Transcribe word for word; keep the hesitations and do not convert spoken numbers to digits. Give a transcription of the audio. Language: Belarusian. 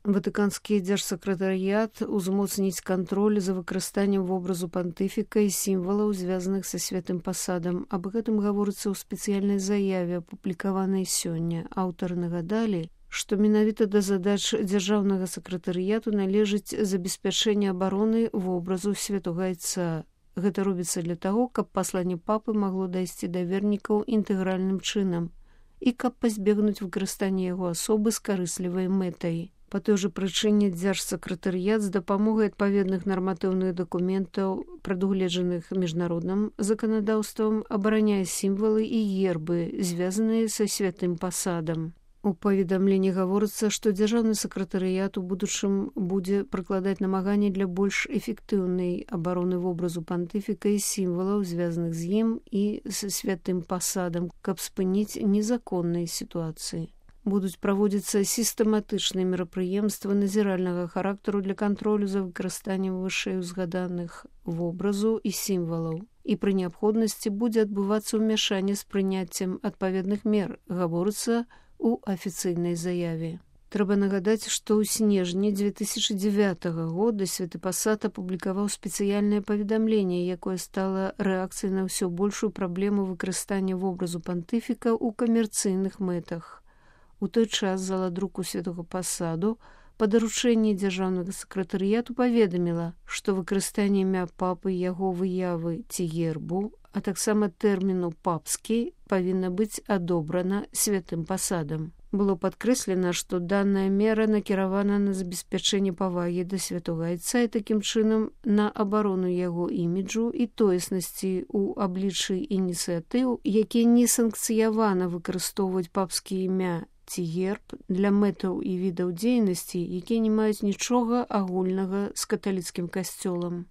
Ватыканскі дзяржсакратарыят узмоцніць кантроль за выкарыстаннем вобразу пантыфіка і сімвалаў, звязаных са святым пасадам. Аб гэтым гаворыцца ў спецыяльнай заяве, апублікаванай сёння. Аўтары нагадалі, што менавіта да задач дзяржаўнага сакратарыяту належыць забеспячэнне абароны вобразу святога айца. Гэта робіцца для таго, каб пасланне папы магло дайсці да вернікаў інтэгральным чынам і каб пазбегнуць выкарыстання яго асобы з карыслівай мэтай. Па той жа прычыне дзяржсакратарыят з дапамогай адпаведных нарматыўных дакументаў, прадугледжаных міжнародным заканадаўствам, абараняе сімвалы і гербы, звязаныя са святым пасадам. У паведамленні гаворыцца, што дзяржаўны сакратарыят у будучым будзе прыкладаць намаганні для больш эфектыўнай абароны вобразу пантыфіка і сімвалаў, звязаных з ім і са святым пасадам, каб спыніць незаконныя сітуацыі. Будуць праводзіцца сістэматычныя мерапрыемствы назіральнага характару для кантролю за выкарыстаннем вышэй узгаданых вобразу і сімвалаў. І пры неабходнасці будзе адбывацца ўмяшанне з прыняццем адпаведных мер, гаворыцца у афіцыйнай заяве. Трэба нагадаць, што ў снежні дзве тысячы дзевятага года святы пасад апублікаваў спецыяльнае паведамленне, якое стала рэакцыяй на ўсё большую праблему выкарыстання вобразу пантыфіка ў камерцыйных мэтах. У той час зала друку святога пасаду па даручэнні дзяржаўнага сакратарыяту паведаміла, што выкарыстанне імя папы, яго выявы ці гербу, а таксама тэрміну «папскі» павінна быць адобрана святым пасадам. Было падкрэслена, што данная мера накіравана на забеспячэнне павагі да святога айца і такім чынам на абарону яго іміджу і тоеснасці ў абліччы ініцыятыў, якія не санкцыявана выкарыстоўваць папскія імя ці герб для мэтаў і відаў дзейнасці, якія не маюць нічога агульнага з каталіцкім касцёлам.